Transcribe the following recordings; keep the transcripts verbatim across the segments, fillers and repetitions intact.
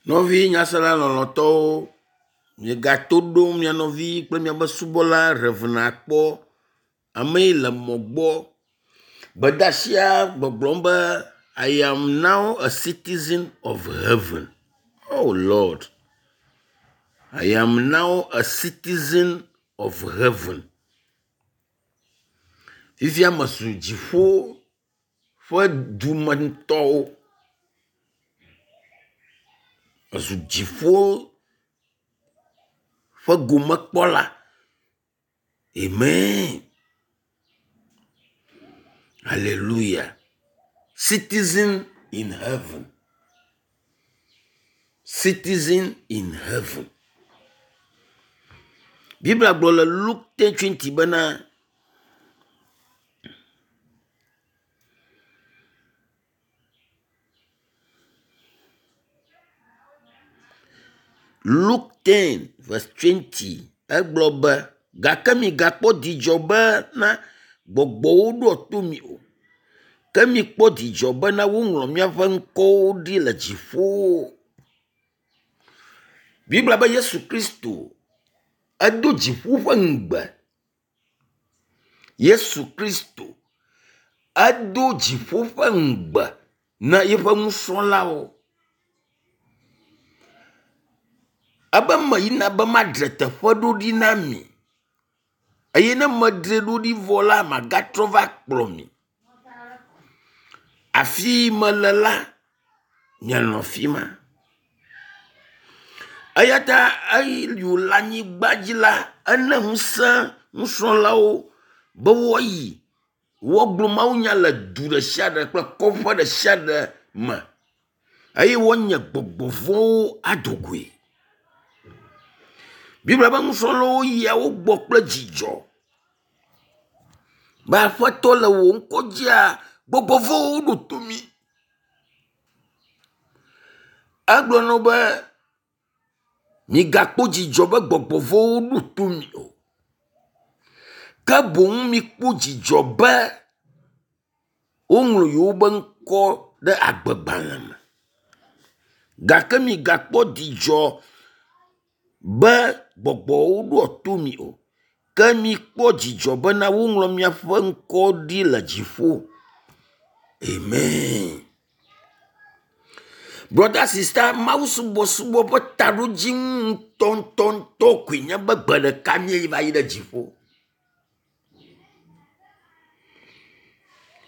Nɔvi nyasela lɔlɔ̃tɔwo, miegato ɖom mia nɔvi kple miaƒe subɔla Rev. Akpɔ. Ame yi le mɔ gbɔ. Gbedeasia gbɔgblɔm be I am now a citizen of heaven. Oh Lord! I am now a citizen of heaven. Fifia mezu dziƒo ƒe dumetɔwo. Mezu dziƒo ƒe gomekpɔla. Amen. Hallelujah. Citizen in heaven. Citizen in heaven. Biblia gblɔ le Luke ten twenty bena Luke ten verse twenty egblɔ be gake migakpɔ dzidzɔ bena gbɔgbɔwo ɖoa to mi o. Ke mikpɔ dzidzɔ bena woŋlɔ miaƒe ŋkɔwo ɖi le dziƒo. Biblia be Yesu Kristo edo dziƒo ƒe ŋugbe. Yesu Kristo edo dziƒo ƒe ŋugbe na eƒe nusrɔ̃lawo. Ebe meyina be madzra teƒe ɖo ɖi na mi eye ne medzrae ɖo ɖi vɔ la magatrɔ va kplɔ mi. Afi yi mele la, mianɔ afi ma. Eya ta eyi wòle anyigba dzi la, ena ŋusẽ nusrɔ̃lawo be woayi woagblɔ mawunya le du ɖe sia ɖe kple kɔƒe ɖe sia ɖe me eye woanye gbɔgbɔ vɔ̃wo ado goe. Biblia be nusrɔ̃lawo yia wo gbɔ kple dzidzɔ be Aƒetɔ le wò ŋkɔ dzia, gbɔgbɔ vɔ̃wo ɖo to mí. Egblɔ na wo be migakpɔ dzidzɔ be gbɔgbɔ vɔ̃wo ɖo to mi o. Ke boŋ mikpɔ dzidzɔ be woŋlɔ yewoƒe ŋkɔ ɖe agbegbalẽ me. Gake migakpɔ dzidzɔ be gbɔgbɔwo ɖoa to mi o. Ke mikpɔ dzidzɔ bena woŋlɔ miaƒe ŋkɔ ɖi le dziƒo. Amen. Brɔda sista mawusubɔsubɔ ƒe taɖodzinu ŋutɔŋutɔŋutɔ koe nye be gbe ɖeka míeva yi ɖe dziƒo.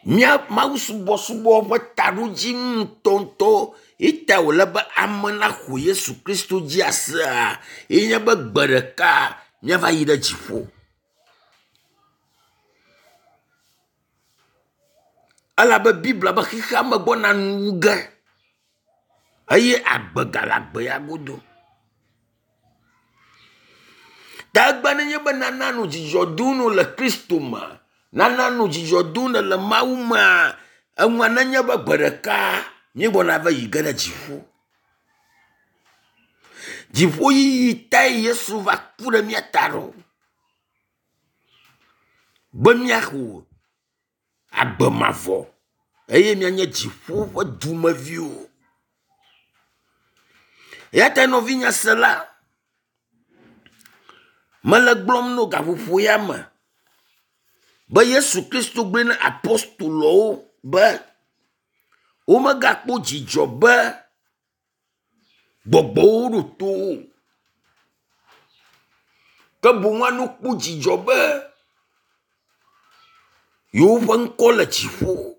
Mía mawusubɔsubɔ ƒe taɖodzinu ŋutɔŋutɔ ye ta wòle be ame naxɔ Yesu Kristo dzi asea ye nye be gbe ɖeka míava yi ɖe dziƒo. Elabe Biblia be xexea me gbɔna nuwu ge eye agbe gale agbe ya godo. Ta egbe nenye be nana nɔ dzidzɔ dom nɔ le Kristo me, nana nɔ dzidzɔ dom nɔ le Mawu mea, enua nenye be gbe ɖeka míegbɔna va yi ge ɖe dziƒo. Dziƒoyiyi tae Yesu va ku ɖe mía ta ɖo. Be míaxɔ agbe mavɔ eye míanye dziƒo ƒe dumeviwo. Eya ta nɔvi nyasela, mele gblɔm no gaƒoƒo ya me be Yesu Kristo gblɔe na apostolowo be womegakpɔ dzidzɔ be gbɔgbɔwo ɖo to wo o. Ke boŋ woano kpɔ dzidzɔ be yewoƒe ŋkɔ le dziƒo.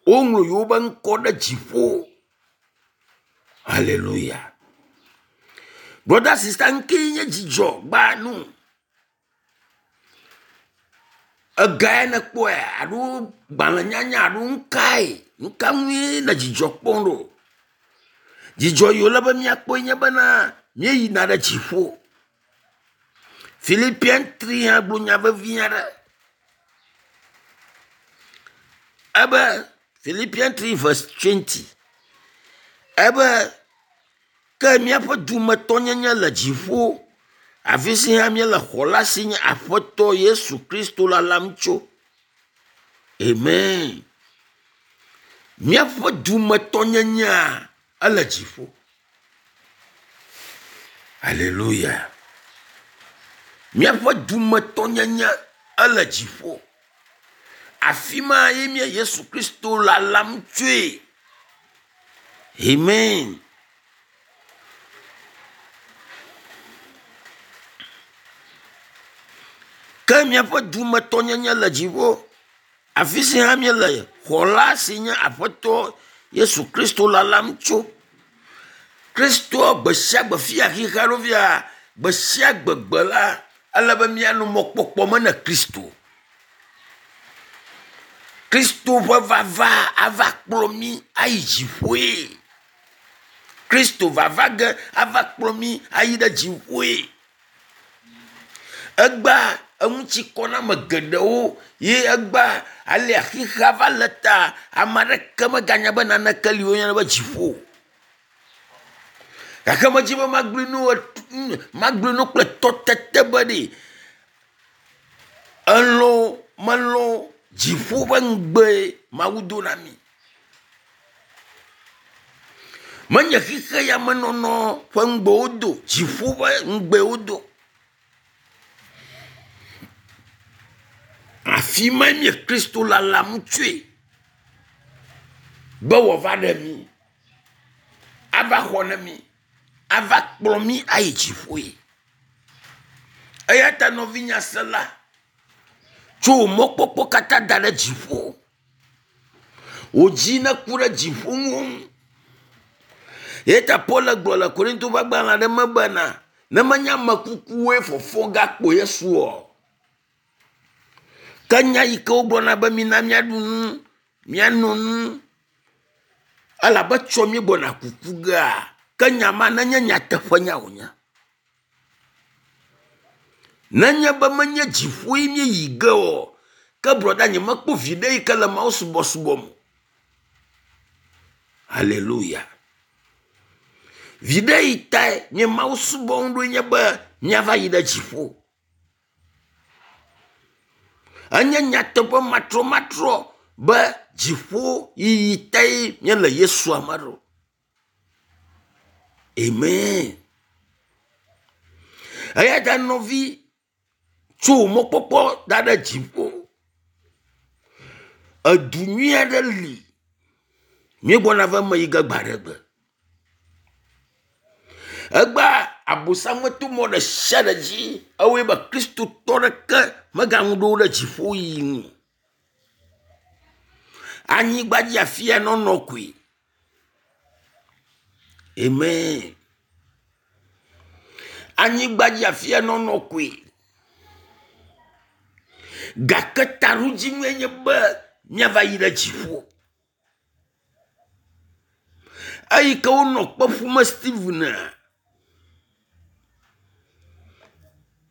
Woŋlɔ yewoƒe ŋkɔ ɖe dziƒo. Hallelujah. Brɔda sista ŋkee nye dzidzɔ gbanu. Egae nekpɔe alo gbalẽnyanya alo nukae? Nuka ŋue le dzidzɔ kpɔm ɖo? Dzidzɔ yi wòle be míakpɔe nye bena míeyina ɖe dziƒo. Philippians three hã gblɔ nya vevi aɖe. Ebe Philippians three verse twenty. Ebe ke míaƒe dumetɔnyenye le dziƒo, afi si hã míele xɔla si nye Aƒetɔ Yesu Kristo lalam tso. Amen. Míaƒe dumetɔnyenyea ele dziƒo. Aleluya. Míaƒe dumetɔnyenye ele dziƒo. Afi ma ye mía Yesu Kristo lalam tsoe. Amen. Ke míaƒe dumetɔnyenye le dziƒo. Afi si hã míele xɔla si nye Aƒetɔ Yesu Kristo lalam tso. Kristoa gbe sia gbe fia xixea ɖo fia gbe sia gbe gbe la ele be míanɔ mɔkpɔkpɔ me ne Kristo. Kristo ƒe vava ava kplɔ mí ayi dziƒoe. Kristo vava ge ava kplɔ mí ayi ɖe dziƒoe. Egbea eŋutikɔname geɖewo ye egbea alea xixea va le ta ame aɖeke meganya be naneke li woyɔna be dziƒo. Gake medzi be magblɔe nu magblɔe nu kple tɔtete be ɖe elɔ̃ melɔ̃ dziƒo ƒe ŋugbe Mawu do na mí. Menye xixe ya menɔnɔ ƒe ŋugbe wodo, dziƒo ƒe ŋugbe wodo. Afi ma nye Kristo lalam tsoe be wòava ɖe mí, ava xɔ na mí, ava kplɔ mí ayi dziƒoe. Eya ta nɔvinye sela, tso wò mɔkpɔkpɔ katã da ɖe dziƒo. Wò dzi neku ɖe dziƒo ŋu. Eya ta Paul gblɔ le Korinto ƒe agbalẽ aɖe me bena ne menye ame kukuwoe fɔfɔ gakpo Yesu o. Ke nya yi ke wogblɔna be mina míaɖu nu, míano nu, elabe tsɔ mí gbɔna kuku gea, ke nya ma nenye nyateƒenya wònye. Nenye be menye dziƒoe míeyi ge o, ke brɔda nye mekpɔ viɖe yi ke le Mawu subɔsubɔ me. Hallelujah. Viɖe yi tae nye Mawu subɔm ɖoe nye be míava yi ɖe dziƒo. Enye nyateƒe matrɔmatrɔ be dziƒo yiyi tae míele Yesu ame ɖo. Amen. Eya ta nɔvi tso wò mɔkpɔkpɔ da ɖe dziƒo. Edu nyui aɖe li. Míegbɔna va eme yi ge gbe aɖe gbe. Egbea Abosam meto mɔ ɖe sia ɖe dzi ewɔe be Kristotɔ ɖeke megaŋu ɖo ɖe dziƒo yiyi ŋu. Anyigba dzi afia nɔnɔ koe. Amen. Anyigba dzi afia nɔnɔ koe. Gake taɖodzinue nye be míava yi ɖe dziƒo. Eyi ke wonɔ kpe ƒum Stephen.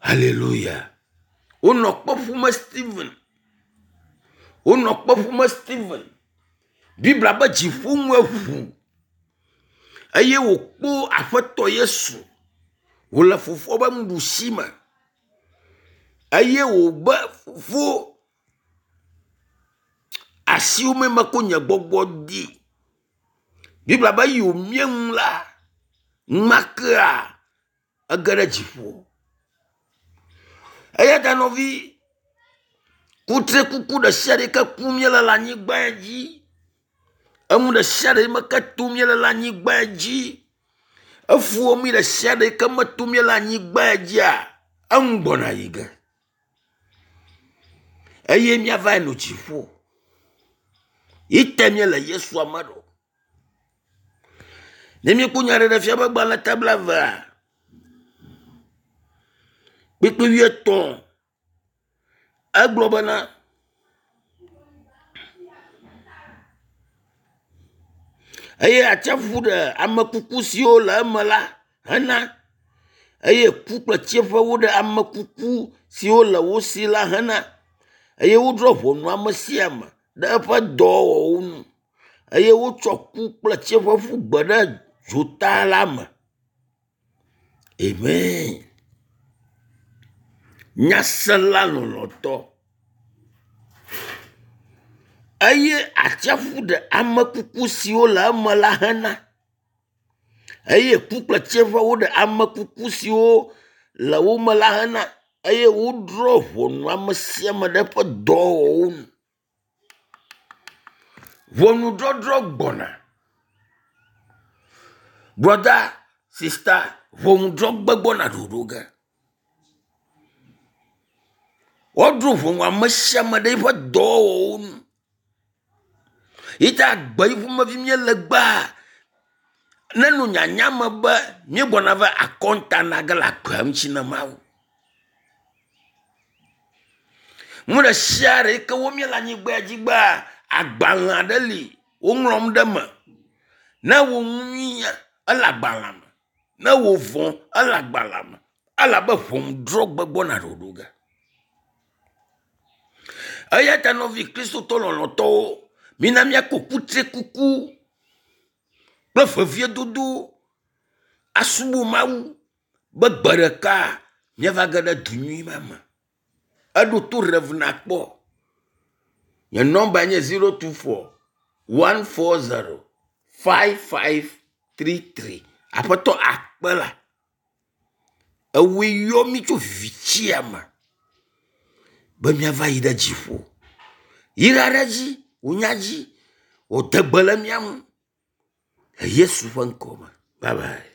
Hallelujah. Wonɔ kpe ƒum Stephen. Wonɔ kpe ƒum Stephen. Biblia be dziƒo ŋue ʋu eye wòkpɔ Aƒetɔ Yesu wòle fofoa ƒe nuɖusi me eye wòbe fofo asiwo me mekɔ nye gbɔgbɔ di. Biblia be eyi wòmie nu la, numakea ege ɖe dziƒo. Eya ta nɔvi, kutrikuku ɖe sia ɖe yi ke kum míele le anyigba dzi, enu ɖe sia ɖe yi me ke tom míele le anyigba dzi, efuwo mi ɖe sia ɖe yi ke metom míele anyigba dzia, enu gbɔna yi ge. Eye míava yi nɔ dziƒo. Yi te míele Yesu ame ɖo. Ne míekpɔ nyaɖeɖefia ƒe agbalẽ ta blaevea, kpukpui wuietɔ̃, egblɔ bena, eye atsiaƒu ɖe ame kuku siwo le eme la hena, eye ku kple tsiẽƒewo ɖe ame kuku siwo le wo si la hena, eye wodrɔ̃ ʋɔnu ame sia ame ɖe eƒe dɔwɔwɔwo nu, eye wotsɔ ku kple tsiẽƒe ƒu gbe ɖe dzota la me. Amen. Nyasela lɔlɔ̃tɔ. Eye atsiaƒu ɖe ame kuku siwo le eme la hena, Eye ku kple tsiẽƒe woɖe ame kuku siwo le wo me la hena eye wodrɔ̃ ʋɔnu ame sia ame ɖe eƒe dɔwɔwɔwo nu. Ʋɔnudɔdrɔ̃ gbɔna. Brɔda, sista, ʋɔnudrɔ̃gbe gbɔna ɖoɖo ge. Woadrɔ̃ ʋɔnu ame sia ame ɖe eƒe dɔwɔwɔwo nu. Yi ta agbe yi ƒomevi míele egbea, nenɔ nyanya me be míegbɔna va akɔnta na ge le agbea ŋuti na Mawu. Nu ɖe sia ɖe yi ke wɔm míele anyigba dzi gbea, agbalẽ aɖe li woŋlɔm ɖe eme. Ne ewɔ nu nyuia, ele agbalẽa me. Ne ewɔ vɔ̃, ele agbalẽa me elabe ʋɔnudrɔ̃gbe gbɔna ɖoɖo ge. Eya ta nɔvi kristotɔ lɔlɔ̃tɔwo, mina míako kutrikuku kple veviedodo asubɔ Mawu be gbe ɖeka míava ge ɖe du nyui ma me. Eɖo to Rev nakpɔ. Nye nɔmba nye zero two four one four zero five five three three. Aƒetɔ akpe la ewòe yɔ mí tso vivitsia me be míava yi ɖe dziƒo. Yra ɖe edzi, wò nya dzi, wò de gbe le mía ŋu le Yesu ƒe ŋkɔ me. Bye bye.